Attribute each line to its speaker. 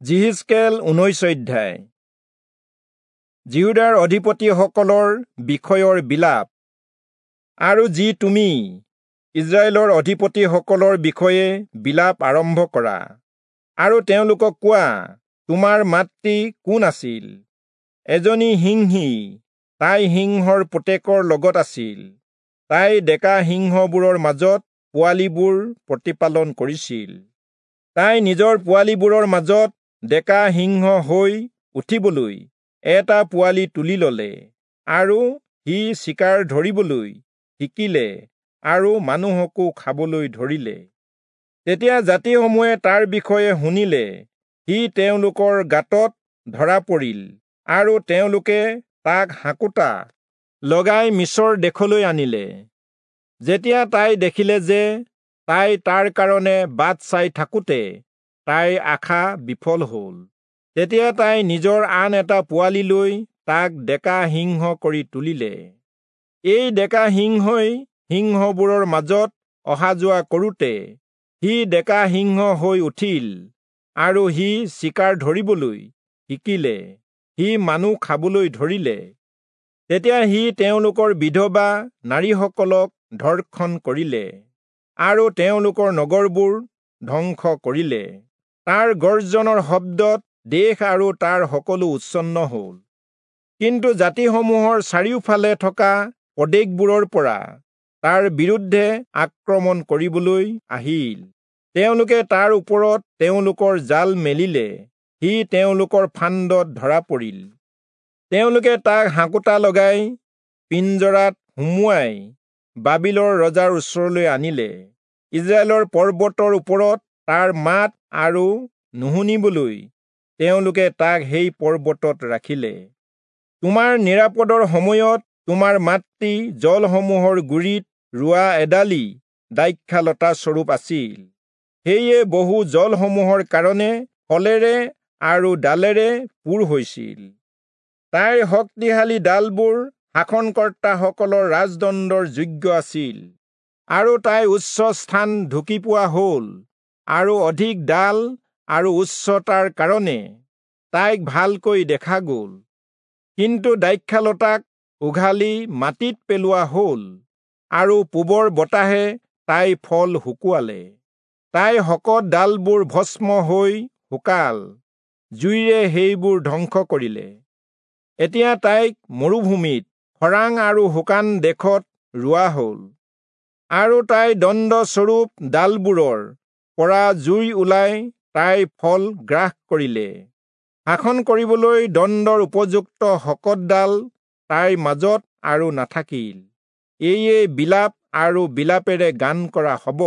Speaker 1: যিহিষ্কেল 19 অধ্যায়। যিহূদাৰ অধিপতিসকলৰ বিষয়ৰ বিলাপ। আৰু যি তুমি ইস্ৰায়েলৰ অধিপতিসকলৰ বিষয়ে বিলাপ আৰম্ভ কৰা আৰু তেওঁলোকক কোৱা, তোমাৰ মাতৃ কোন আছিল? এজনী সিংহী, তাই সিংহৰ পুতেকৰ লগত আছিল। তাই ডেকা সিংহবোৰৰ মাজত পোৱালিবোৰ প্ৰতিপালন কৰিছিল। তাই নিজৰ পোৱালিবোৰৰ মাজত ডেকা সিংহ হৈ উঠিবলৈ এটা পোৱালি তুলি ললে আৰু সি চিকাৰ ধৰিবলৈ শিকিলে আৰু মানুহকো খাবলৈ ধৰিলে। তেতিয়া জাতিসমূহে তাৰ বিষয়ে শুনিলে, সি তেওঁলোকৰ গাঁতত ধৰা পৰিল আৰু তেওঁলোকে তাক হাঁকোটা লগাই মিচৰ দেশলৈ আনিলে। যেতিয়া তাই দেখিলে যে তাই তাৰ কাৰণে বাট চাই থাকোঁতে তাইৰ আশা বিফল হ'ল, তেতিয়া তাই নিজৰ আন এটা পোৱালি লৈ তাক ডেকা সিংহ কৰি তুলিলে। এই ডেকা সিংহই সিংহবোৰৰ মাজত অহা যোৱা কৰোঁতে সি ডেকা সিংহ হৈ উঠিল আৰু সি চিকাৰ ধৰিবলৈ শিকিলে, সি মানুহ খাবলৈ ধৰিলে। তেতিয়া সি তেওঁলোকৰ বিধৱা নাৰীসকলক ধৰ্ষণ কৰিলে আৰু তেওঁলোকৰ নগৰবোৰ ধ্বংস কৰিলে। তাৰ গৰ্জনৰ শব্দত দেশ আৰু তাৰ সকলো উচ্ছন্ন হ'ল। কিন্তু জাতিসমূহৰ চাৰিওফালে থকা প্ৰদেশবোৰৰ পৰা তাৰ বিৰুদ্ধে আক্ৰমণ কৰিবলৈ আহিল। তেওঁলোকে তাৰ ওপৰত তেওঁলোকৰ জাল মেলিলে, সি তেওঁলোকৰ ফান্দত ধৰা পৰিল। তেওঁলোকে তাক হাঁকোটা লগাই পিঞ্জৰাত সুমুৱাই বাবিলৰ ৰজাৰ ওচৰলৈ আনিলে। ইস্ৰায়েলৰ পৰ্বতৰ ওপৰত তাৰ মাত আৰু নুশুনিবলৈ তেওঁলোকে তাক সেই পৰ্বতত ৰাখিলে। তোমাৰ নিৰাপদৰ সময়ত তোমাৰ মাতৃ জলসমূহৰ গুৰিত ৰোৱা এডালি দ্ৰাক্ষালতা স্বৰূপ আছিল। সেয়ে বহু জলসমূহৰ কাৰণে ফলেৰে আৰু ডালেৰে পূৰ হৈছিল। তাইৰ শক্তিশালী ডালবোৰ শাসনকৰ্তাসকলৰ ৰাজদণ্ডৰ যোগ্য আছিল আৰু তাই উচ্চ স্থান ঢুকি পোৱা হ'ল আৰু অধিক ডাল আৰু উচ্চতাৰ কাৰণে তাইক ভালকৈ দেখা গ'ল। কিন্তু দ্ৰাক্ষালতাক উঘালি মাটিত পেলোৱা হ'ল আৰু পূবৰ বতাহে তাইৰ ফল শুকুৱালে। তাইৰ শকত ডালবোৰ ভস্ম হৈ শুকাল, জুইৰে সেইবোৰ ধ্বংস কৰিলে। এতিয়া তাইক মৰুভূমিত খৰাং আৰু শুকান দেশত ৰোৱা হ'ল আৰু তাইৰ দণ্ডস্বৰূপ ডালবোৰৰ পৰা জুই ওলাই তাইৰ ফল গ্ৰাস কৰিলে। শাসন কৰিবলৈ দণ্ডৰ উপযুক্ত শকত ডাল তাইৰ মাজত আৰু নাথাকিল। এয়ে বিলাপ আৰু বিলাপেৰে গান কৰা হ'ব।